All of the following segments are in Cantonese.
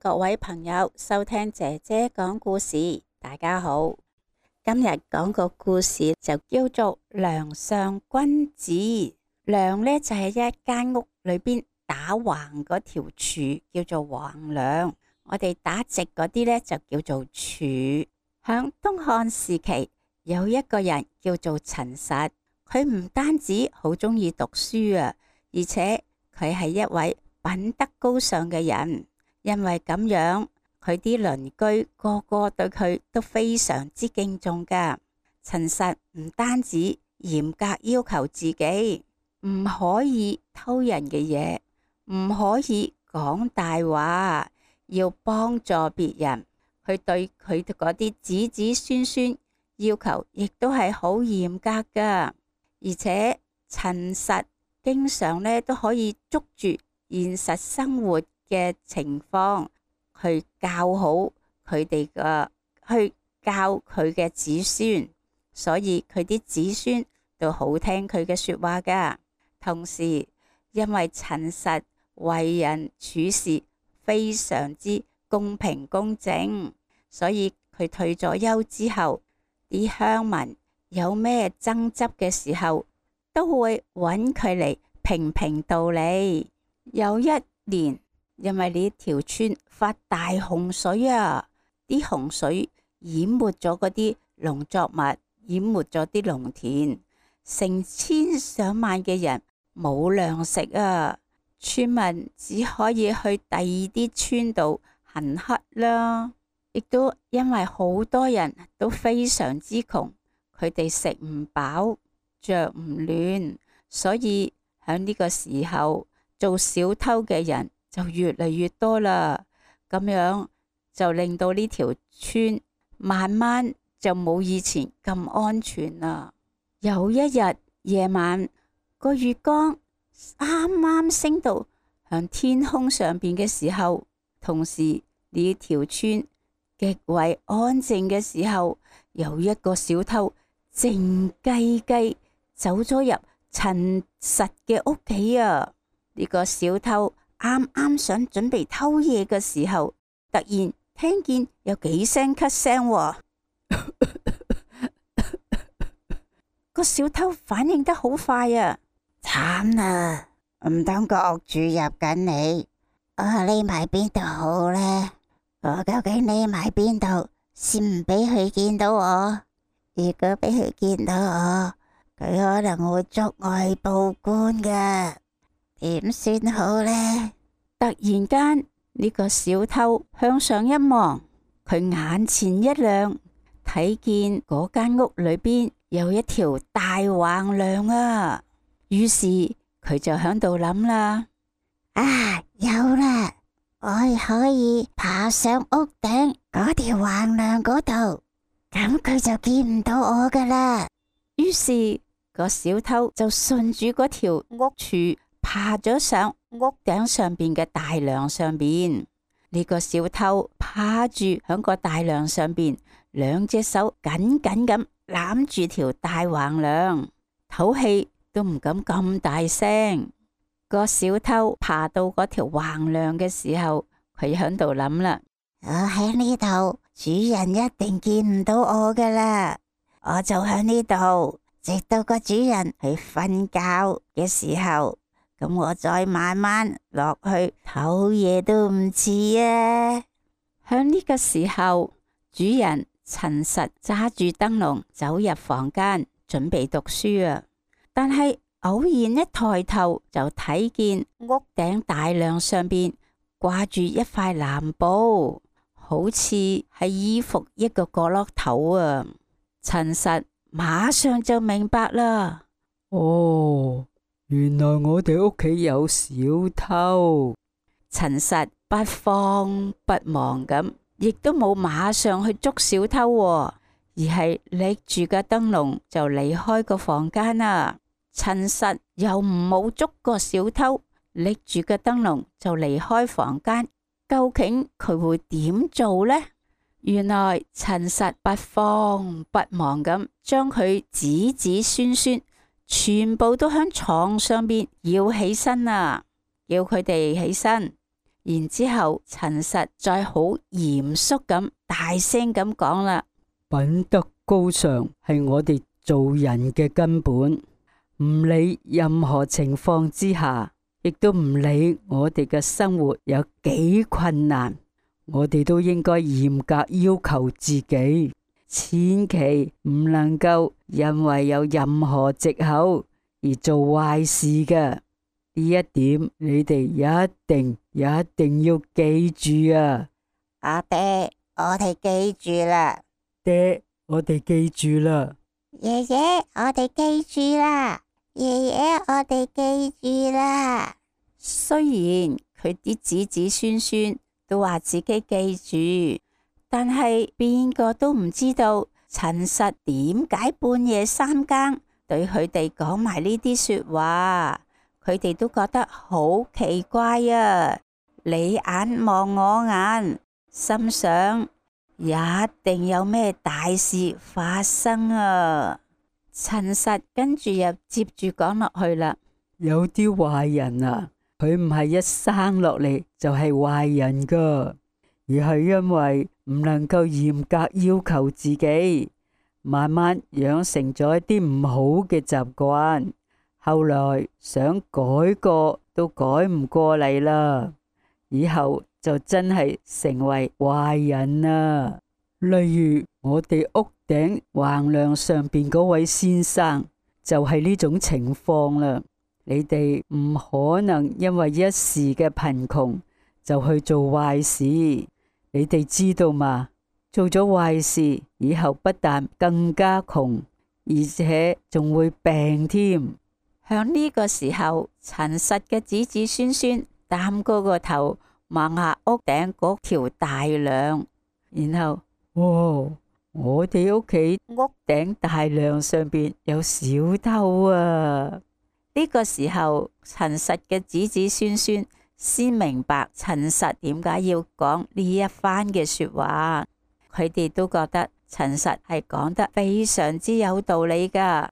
各位朋友收聽姐姐講故事。大家好，今日講個故事就叫做梁上君子。梁呢就係一間屋裏邊打橫嗰條柱叫做橫梁，我哋打直嗰啲呢就叫做柱。響東漢時期有一個人叫做陳實，佢唔單止好鍾意讀書啊，而且佢係一位品德高尚嘅人。因為咁樣，佢啲鄰居個個對佢都非常之敬重噶。陳實唔單止嚴格要求自己唔可以偷人嘅嘢，唔可以講大話，要幫助別人。佢對佢嗰啲子子孫孫要求亦都係好嚴格噶。而且陳實經常呢都可以捉住現實生活嘅情況去教好佢哋去教佢嘅子孫，所以佢啲子孫都好聽佢嘅說話噶。同時，因為陳實為人處事非常之公平公正，所以佢退咗休之後，啲鄉民有咩爭執嘅時候，都會揾佢嚟評評道理。有一年，因為呢條村發大洪水啊，啲洪水淹沒咗嗰啲農作物，淹沒咗啲農田，成千上萬嘅人冇糧食啊，村民只可以去第二啲村度行乞啦。亦都因為好多人都非常之窮，佢哋食唔飽，着唔暖，所以喺呢個時候做小偷嘅人就越嚟越多啦，咁樣就令到呢條村慢慢就冇以前咁安全啦。有一日夜晚，個月光啱啱升到向天空上邊嘅時候，同時呢條村極為安靜嘅時候，有一個小偷靜雞雞走咗入陳實嘅屋企啊！呢個小偷啱啱想準備偷嘢嘅時候，突然聽見有幾聲咳聲，個小偷反應得好快啊！慘啦，唔通個屋主入緊嚟，我匿埋邊度好呢？我究竟匿埋邊度先唔俾佢見到我？如果俾佢見到我，佢可能會捉我去報官噶，點算好呢？突然間，呢個小偷向上一望，佢眼前一亮，睇見嗰間屋裏邊有一條大橫梁啊！於是佢就喺度諗啦：啊，有啦！我可以爬上屋頂嗰條橫梁嗰度，咁佢就見唔到我噶啦。於是個小偷就順住嗰條屋柱爬咗上屋頂上邊嘅大梁上邊。呢個小偷趴住響個大梁上邊，兩隻手緊緊咁攬住條大橫梁，唞氣都唔敢咁大聲。個小偷爬到嗰條橫梁嘅時候，佢喺度諗啦：我喺呢度，主人一定見唔到我噶啦。我就喺呢度，直到個主人去瞓覺嘅時候，咁我再慢慢落去唞嘢都唔遲啊。喺呢個時候，主人陳實揸住燈籠走入房間，準備讀書啊。但係偶然一抬頭就睇見屋頂大梁上邊掛住一塊藍布，好似係衣服一個角落頭啊！陳實馬上就明白啦。哦，原來我哋屋企有小偷。陳實不慌不忙咁，亦都冇馬上去捉小偷，而係拎住個燈籠就離開個房間啦。陳實又唔冇捉個小偷，拎住個燈籠就離開房間。究竟佢會點做呢？原來陳實不慌不忙咁將佢子子孫孫全部都喺床上邊搖起身啊！叫佢哋起身，然之後陳實再好嚴肅咁大聲咁講啦：品德高尚係我哋做人嘅根本，唔理任何情況之下，亦都唔理我哋嘅生活有幾困難，我哋都應該嚴格要求自己，千祈唔能夠因為有任何藉口而做壞事嘅。呢一點你哋一定要記住啊！阿爹，我哋記住啦。爹，我哋記住啦。爺爺，我哋記住啦。爺爺，我哋記住啦。雖然佢啲子子孫孫都話自己記住，但係邊個都唔知道陳實點解半夜三更對佢哋講埋呢啲說話。佢哋都覺得好奇怪啊！你眼望我眼，心想一定有咩大事發生啊！陳實跟住又接住講落去啦。有啲壞人啊，佢唔係一生落嚟就係壞人噶，而係因為唔能夠嚴格要求自己，慢慢養成咗一啲唔好嘅習慣。後來想改過都改唔過嚟啦，以後就真係成為壞人啦。例如我哋屋頂橫梁上邊嗰位先生就係呢種情況啦。你哋唔可能因為一時嘅貧窮就去做壞事，你哋知道嘛？做咗壞事以後不但更加窮，而且仲會病添。響呢個時候，陳實嘅子子孫孫擔高個頭望下屋頂嗰條大梁，然後哇！我哋屋企屋頂大梁上邊有小偷啊！呢個時候，陳實嘅子子孫孫先明白陳實點解要講呢一番嘅說話，佢哋都覺得陳實係講得非常之有道理噶。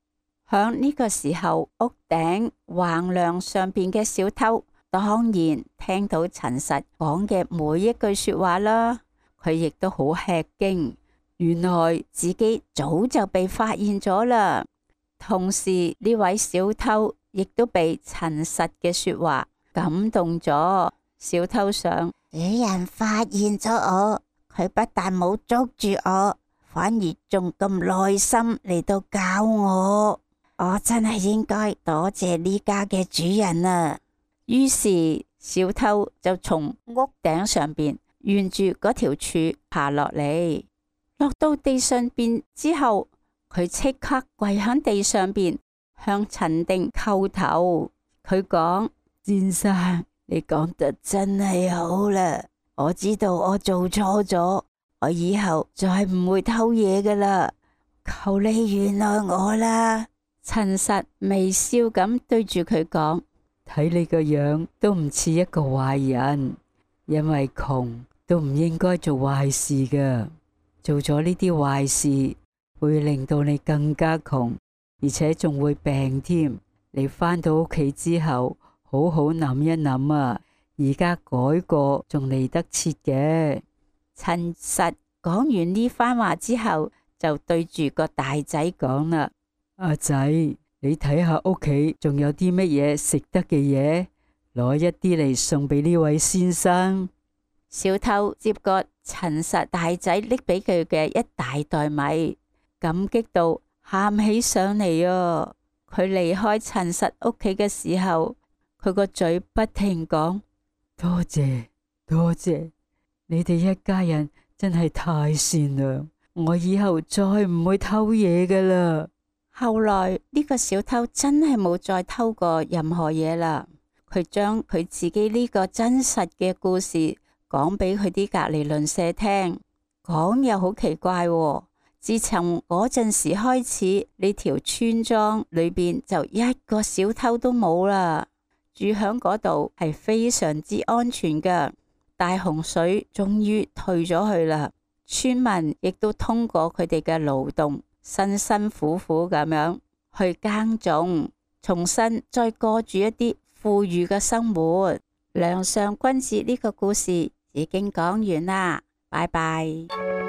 響呢個時候，屋頂橫梁上邊嘅小偷當然聽到陳實講嘅每一句說話啦，佢亦都好吃驚，原來自己早就被發現咗啦。同時呢位小偷亦都被陳實嘅說話感動咗。小偷想，主人發現咗我，佢不但冇捉住我，反而仲咁耐心嚟到教我。我真係應該多謝呢家嘅主人啊！於是小偷就從屋頂上邊沿住嗰條柱爬落嚟，落到地上邊之後，佢即刻跪喺地上邊向陳定叩頭。佢講：先生，你講得真係好啦，我知道我做錯咗，我以後再唔會偷嘢噶啦，求你原諒我啦。陳實微笑咁對住佢講：睇你個樣都唔似一個壞人，因為窮都唔應該做壞事噶。做咗呢啲壞事會令到你更加窮，而且仲會病添。你返到屋企之後，好好諗一諗啊，而家改過仲嚟得切嘅。陳實講完呢番話之後，就對住個大仔講啦：阿仔，你睇下屋企仲有啲乜嘢食得嘅嘢，攞一啲嚟送俾呢位先生。小偷接過陳實大仔拎俾佢嘅一大袋米，感激到喊起上嚟啊！佢離開陳實屋企嘅時候，佢個嘴不停講：多謝多謝，你哋一家人真係太善良，我以後再唔會偷嘢噶啦。後來呢個小偷真係冇再偷過任何嘢啦。佢將佢自己呢個真實嘅故事講俾佢啲隔籬鄰舍聽，講又好奇怪喎。自從嗰陣時開始，呢條村莊裏邊就一個小偷都冇啦，住響嗰度係非常之安全噶。大洪水終於退咗去啦，村民亦都通過佢哋嘅勞動，辛辛苦苦咁樣去耕種，重新再過住一啲富裕嘅生活。梁上君子呢個故事已經講完啦，拜拜。